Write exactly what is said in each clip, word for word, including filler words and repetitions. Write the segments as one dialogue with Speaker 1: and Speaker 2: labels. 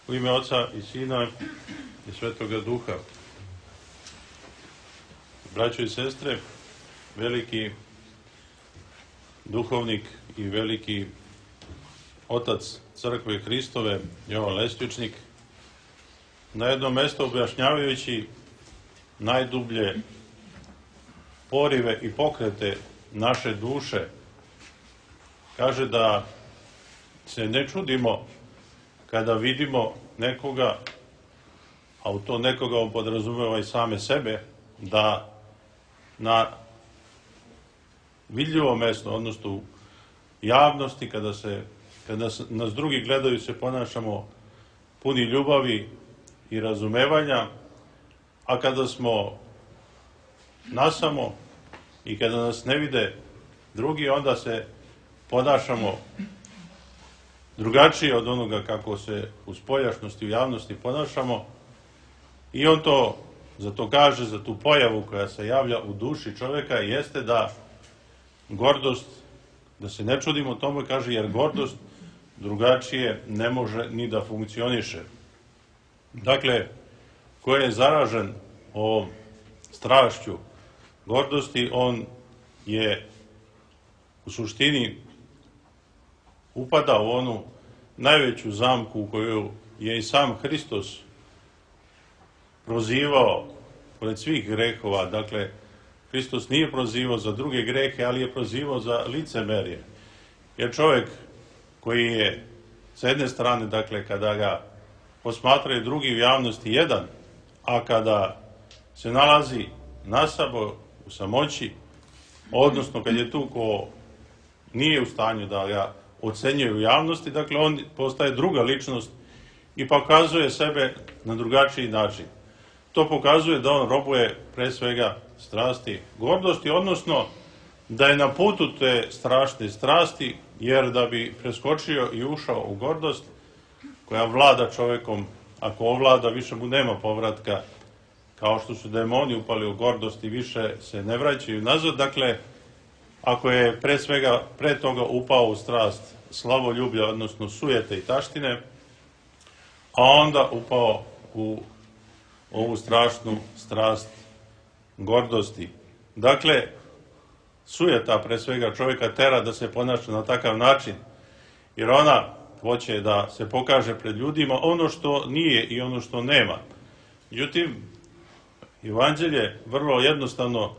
Speaker 1: U ime Oca i Sina i Svetoga Duha. Braćo i sestre, veliki duhovnik i veliki otac Crkve Hristove, Jovan Lestvičnik, na jednom mjestu objašnjavajući najdublje porive i pokrete naše duše, kaže da se ne čudimo kada vidimo nekoga, a u to nekoga on podrazumeva i same sebe, da na vidljivo mesto, odnosno u javnosti, kada, se, kada nas drugi gledaju, se ponašamo puni ljubavi i razumevanja, a kada smo nasamo i kada nas ne vide drugi, onda se ponašamo drugačije od onoga kako se u spoljašnosti, u javnosti ponašamo. I on to, za to kaže, za tu pojavu koja se javlja u duši čovjeka, jeste da gordost, da se ne čudimo tome, kaže, jer gordost drugačije ne može ni da funkcioniše. Dakle, ko je zaražen ovom strašću gordosti, on je u suštini upada u onu najveću zamku u koju je i sam Hristos prozivao pored svih grehova. Dakle, Hristos nije prozivao za druge grehe, ali je prozivao za licemerje. Jer čovjek koji je s jedne strane, dakle, kada ga posmatraju drugi u javnosti jedan, a kada se nalazi nasamo u samoći, odnosno kad je tu ko nije u stanju da ga ocenjuje u javnosti, dakle on postaje druga ličnost i pokazuje sebe na drugačiji način. To pokazuje da on robuje pre svega strasti gordosti, odnosno da je na putu te strašne strasti, jer da bi preskočio i ušao u gordost koja vlada čovjekom, ako ovlada, više mu nema povratka, kao što su demoni upali u gordost i više se ne vraćaju nazad. Dakle, ako je pre svega pre toga upao u strast slavoljublja, odnosno sujete i taštine, a onda upao u ovu strašnu strast gordosti. Dakle, sujeta pre svega čovjeka tera da se ponaša na takav način, jer ona hoće da se pokaže pred ljudima ono što nije i ono što nema. Međutim, Evanđelje vrlo jednostavno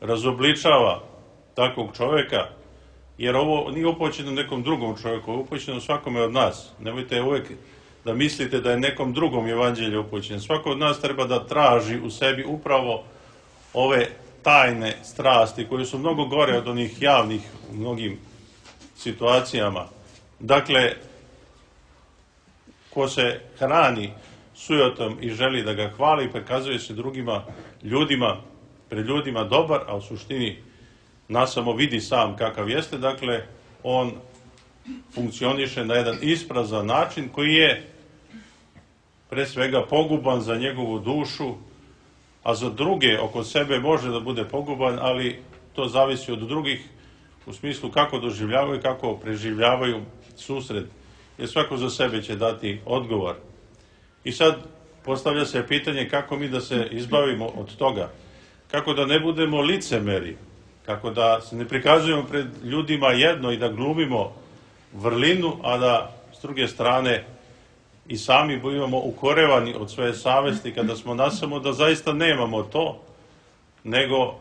Speaker 1: razobličava takvog čovjeka, jer ovo nije upućeno nekom drugom čovjeku, ovo je upućeno svakome od nas. Nemojte uvijek da mislite da je nekom drugom Evanđelje upućeno. Svako od nas treba da traži u sebi upravo ove tajne strasti, koje su mnogo gore od onih javnih u mnogim situacijama. Dakle, ko se hrani sujetom i želi da ga hvali, prikazuje se drugima ljudima, pred ljudima dobar, a u suštini nasamo vidi sam kakav jeste. Dakle, on funkcioniše na jedan isprazan način koji je pre svega poguban za njegovu dušu, a za druge oko sebe može da bude poguban, ali to zavisi od drugih u smislu kako doživljavaju, kako preživljavaju susret, jer svako za sebe će dati odgovor. I sad postavlja se pitanje kako mi da se izbavimo od toga, kako da ne budemo licemeri, kako da se ne prikazujemo pred ljudima jedno i da glumimo vrlinu, a da s druge strane i sami budemo ukorevani od svoje savesti kada smo nasamo da zaista nemamo to, nego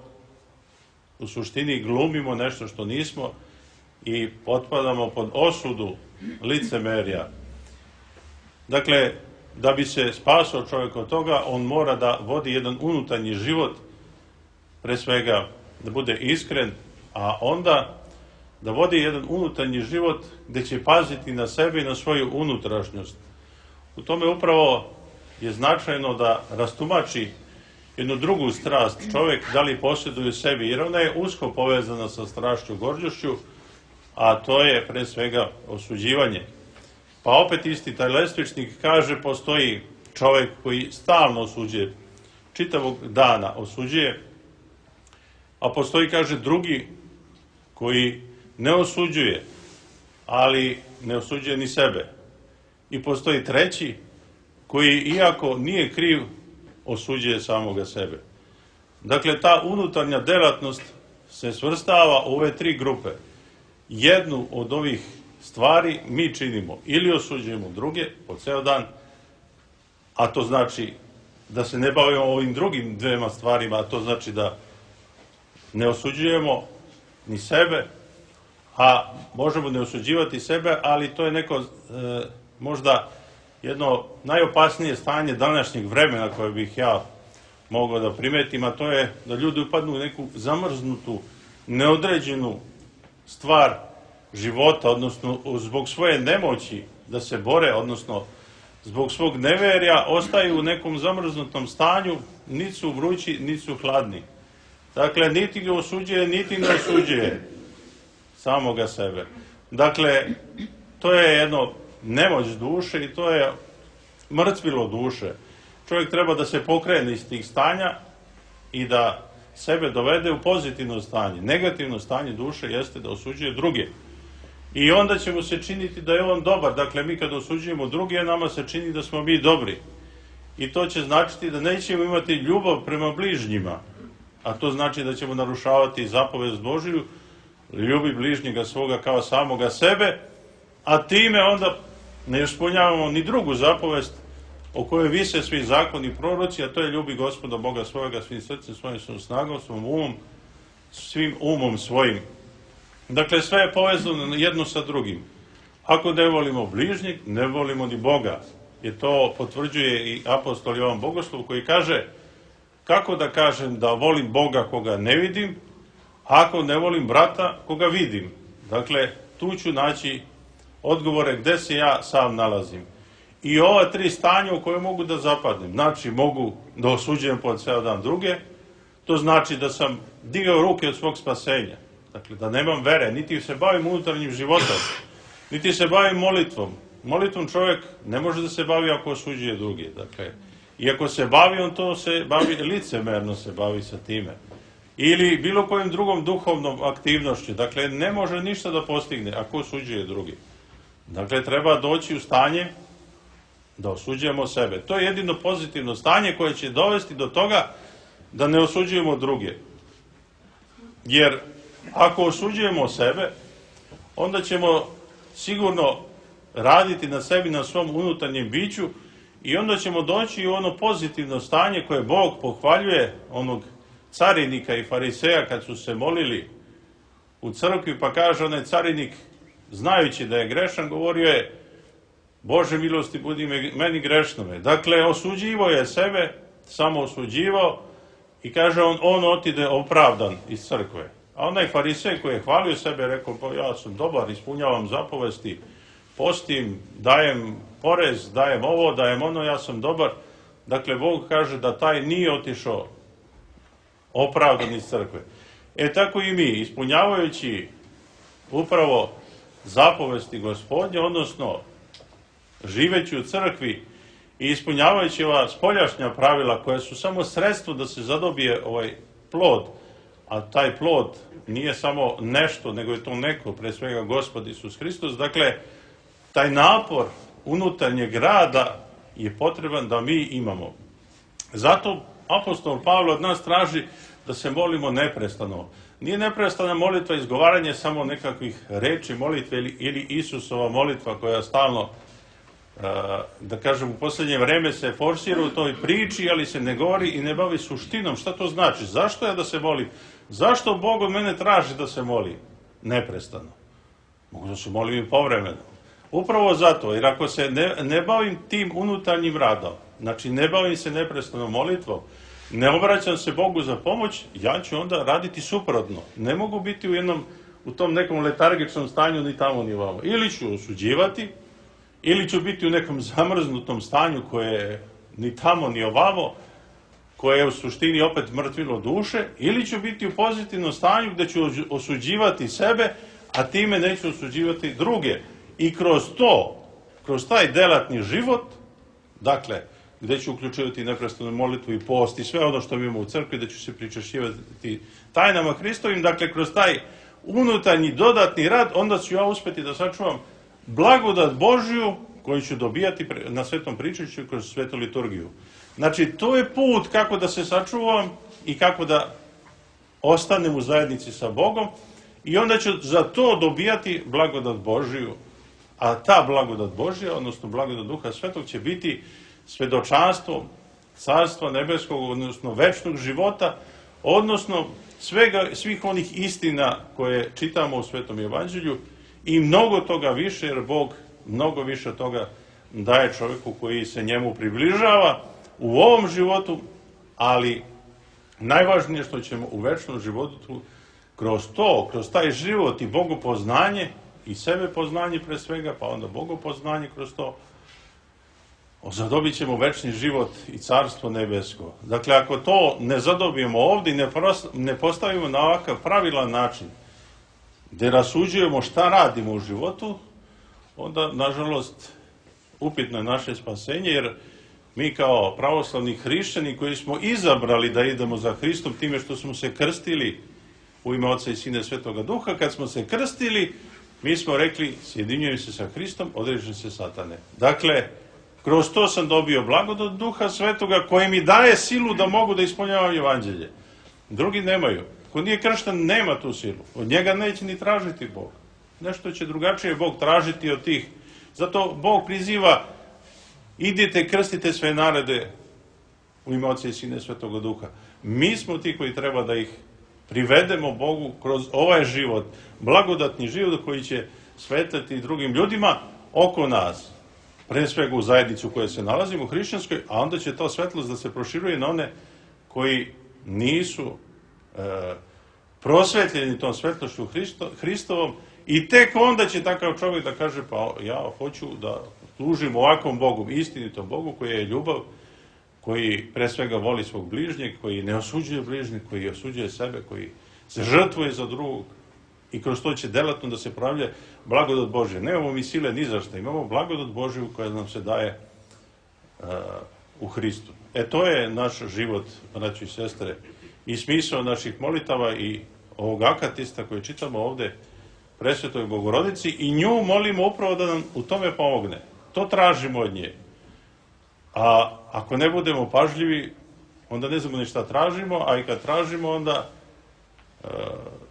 Speaker 1: u suštini glumimo nešto što nismo i potpadamo pod osudu licemerja. Dakle, da bi se spasao čovjek od toga, on mora da vodi jedan unutarnji život, pre svega da bude iskren, a onda da vodi jedan unutarnji život gdje će paziti na sebe i na svoju unutrašnjost. U tome upravo je značajno da rastumači jednu drugu strast čovjek, da li posjeduje sebi, jer ona je usko povezana sa strašću gordošću, a to je pre svega osuđivanje. Pa opet isti taj Lestvičnik kaže, postoji čovjek koji stalno osuđuje, čitavog dana osuđuje, a postoji, kaže, drugi koji ne osuđuje, ali ne osuđuje ni sebe. I postoji treći koji, iako nije kriv, osuđuje samoga sebe. Dakle, ta unutarnja delatnost se svrstava u ove tri grupe. Jednu od ovih stvari mi činimo ili osuđujemo druge po ceo dan, a to znači da se ne bavimo ovim drugim dvema stvarima, a to znači da ne osuđujemo ni sebe, a možemo ne osuđivati sebe, ali to je neko e, možda jedno najopasnije stanje današnjeg vremena koje bih ja mogao da primetim, a to je da ljudi upadnu u neku zamrznutu, neodređenu stvar života, odnosno zbog svoje nemoći da se bore, odnosno zbog svog neverja, ostaju u nekom zamrznutom stanju, niti su vrući, niti su hladni. Dakle, niti ga osuđuje, niti ne osuđuje samoga sebe. Dakle, to je jedno nemoć duše i to je mrtvilo duše. Čovjek treba da se pokrene iz tih stanja i da sebe dovede u pozitivno stanje. Negativno stanje duše jeste da osuđuje druge. I onda će mu se činiti da je on dobar. Dakle, mi kad osuđujemo druge, nama se čini da smo mi dobri. I to će značiti da nećemo imati ljubav prema bližnjima. A to znači da ćemo narušavati zapovest Božiju, ljubi bližnjega svoga kao samoga sebe, a time onda ne ispunjavamo ni drugu zapovest o kojoj vise svi zakoni i proroci, a to je ljubi Gospoda Boga svojega svim srcem, svojim svom snagom, svom umom, svim umom svojim. Dakle, sve je povezano jedno sa drugim. Ako ne volimo bližnjeg, ne volimo ni Boga. I to potvrđuje i apostol Jovan Bogoslov koji kaže: kako da kažem da volim Boga koga ne vidim, ako ne volim brata koga vidim? Dakle, tu ću naći odgovore gde se ja sam nalazim. I ova tri stanja u koje mogu da zapadnem. Znači, mogu da osuđujem po ceo dan druge, to znači da sam digao ruke od svog spasenja. Dakle, da nemam vere, niti se bavim unutarnjim životom, niti se bavim molitvom. Molitvom čovjek ne može da se bavi ako osuđuje druge. Dakle, i ako se bavi, on to se bavi, licemerno se bavi sa time. Ili bilo kojim drugom duhovnom aktivnošću. Dakle, ne može ništa da postigne ako osuđuje drugi. Dakle, treba doći u stanje da osuđujemo sebe. To je jedino pozitivno stanje koje će dovesti do toga da ne osuđujemo druge. Jer ako osuđujemo sebe, onda ćemo sigurno raditi na sebi, na svom unutarnjem biću, i onda ćemo doći u ono pozitivno stanje koje Bog pohvaljuje onog carinika i fariseja kad su se molili u crkvi, pa kaže onaj carinik, znajući da je grešan, govorio je: Bože milosti budi meni grešnome. Dakle, osuđivo je sebe, samo osuđivao, i kaže on, on otide opravdan iz crkve. A onaj farisej koji je hvalio sebe, rekao: pa ja sam dobar, ispunjavam zapovesti, postim, dajem porez, dajem ovo, dajem ono, ja sam dobar. Dakle, Bog kaže da taj nije otišao opravdan iz crkve. E tako i mi, ispunjavajući upravo zapovesti Gospodnje, odnosno živeći u crkvi i ispunjavajući ova spoljašnja pravila koja su samo sredstvo da se zadobije ovaj plod, a taj plod nije samo nešto, nego je to neko, pre svega Gospod Isus Hristos. Dakle, taj napor unutarnjeg rada je potreban da mi imamo. Zato apostol Pavle od nas traži da se molimo neprestano. Nije neprestana molitva izgovaranje samo nekakvih reči molitve ili, ili Isusova molitva koja stalno, da kažem, u posljednje vreme se forsira u toj priči, ali se ne govori i ne bavi suštinom. Šta to znači? Zašto ja da se molim? Zašto Bog od mene traži da se molim neprestano? Mogu da se molim i povremeno. Upravo zato, jer ako se ne, ne bavim tim unutarnjim radom, znači ne bavim se neprestano molitvom, ne obraćam se Bogu za pomoć, ja ću onda raditi suprotno. Ne mogu biti u jednom, u tom nekom letargičnom stanju ni tamo ni ovamo. Ili ću osuđivati, ili ću biti u nekom zamrznutom stanju koje je ni tamo ni ovamo, koje je u suštini opet mrtvilo duše, ili ću biti u pozitivnom stanju gde ću osuđivati sebe, a time neću osuđivati druge. I kroz to, kroz taj delatni život, dakle, gde ću uključivati neprestanu molitvu i post i sve ono što mi imamo u crkvi, da ću se pričašćivati tajnama Hristovim, dakle, kroz taj unutarnji dodatni rad, onda ću ja uspeti da sačuvam blagodat Božju koji ću dobijati na svetom pričajuću kroz svetu liturgiju. Znači, to je put kako da se sačuvam i kako da ostanem u zajednici sa Bogom i onda ću za to dobijati blagodat Božiju. A ta blagodat Božja, odnosno blagodat Duha Svetog, će biti svedočanstvo Carstva nebeskog, odnosno večnog života, odnosno svega, svih onih istina koje čitamo u Svetom Evanđelju i mnogo toga više, jer Bog mnogo više toga daje čovjeku koji se njemu približava u ovom životu, ali najvažnije što ćemo u večnom životu kroz to, kroz taj život i bogopoznanje i sebe poznanje pre svega, pa onda bogopoznanje kroz to, zadobit ćemo večni život i Carstvo nebesko. Dakle, ako to ne zadobijemo ovdje i ne postavimo na ovakav pravilan način, gdje rasuđujemo šta radimo u životu, onda, nažalost, upitno je naše spasenje, jer mi kao pravoslavni hrišćani koji smo izabrali da idemo za Hristom time što smo se krstili u ime Oca i Sina i Svetoga Duha, kad smo se krstili, mi smo rekli, sjedinjujem se sa Hristom, odrežem se satane. Dakle, kroz to sam dobio blagodat Duha Svetoga koji mi daje silu da mogu da ispunjavam Evanđelje. Drugi nemaju. Ko nije kršten, nema tu silu. Od njega neće ni tražiti Bog. Nešto će drugačije Bog tražiti od tih. Zato Bog priziva, idite, krstite sve narode u ime Oca i Sina i Svetoga Duha. Mi smo ti koji treba da ih privedemo Bogu kroz ovaj život, blagodatni život koji će svetlati drugim ljudima oko nas. Pre svega u zajednicu u kojoj se nalazimo, u hrišćanskoj, a onda će to svetlost da se proširuje na one koji nisu e, prosvetljeni tom svetlošću Hristo, Hristovom i tek onda će takav čovjek da kaže, pa ja hoću da služim ovakvom Bogu, istinitom Bogu koji je ljubav, koji pre svega voli svog bližnjeg, koji ne osuđuje bližnjeg, koji osuđuje sebe, koji se žrtvuje za drugog i kroz to će delatno da se pravlja blagodat Božja. Nemamo mi sile ni za šta, imamo blagodat Božju koja nam se daje uh, u Hristu. E to je naš život, braći i sestre, i smisao naših molitava i ovog akatista koji čitamo ovde Presvetoj Bogorodici i nju molimo upravo da nam u tome pomogne. To tražimo od nje. A ako ne budemo pažljivi, onda ne znamo ni šta tražimo, a i kad tražimo, onda e,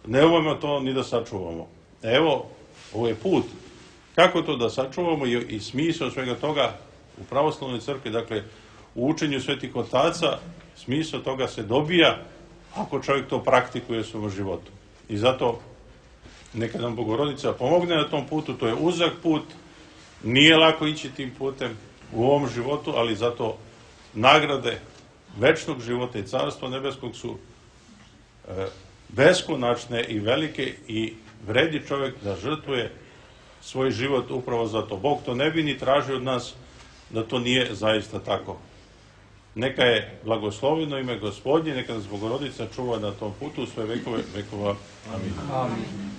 Speaker 1: ne umemo to ni da sačuvamo. Evo, ovo je put. Kako to da sačuvamo i, i smisao svega toga u pravoslavnoj crkvi, dakle, u učenju svetih otaca, smisao toga se dobija ako čovjek to praktikuje u svom životu. I zato neka nam Bogorodica pomogne na tom putu, to je uzak put, nije lako ići tim putem u ovom životu, ali zato nagrade večnog života i Carstva nebeskog su e, beskonačne i velike i vredi čovjek da žrtvuje svoj život upravo zato. Bog to ne bi ni tražio od nas da to nije zaista tako. Neka je blagosloveno ime Gospodnje, neka nas Bogorodica čuva na tom putu sve vekove vekova. Amin. Amin.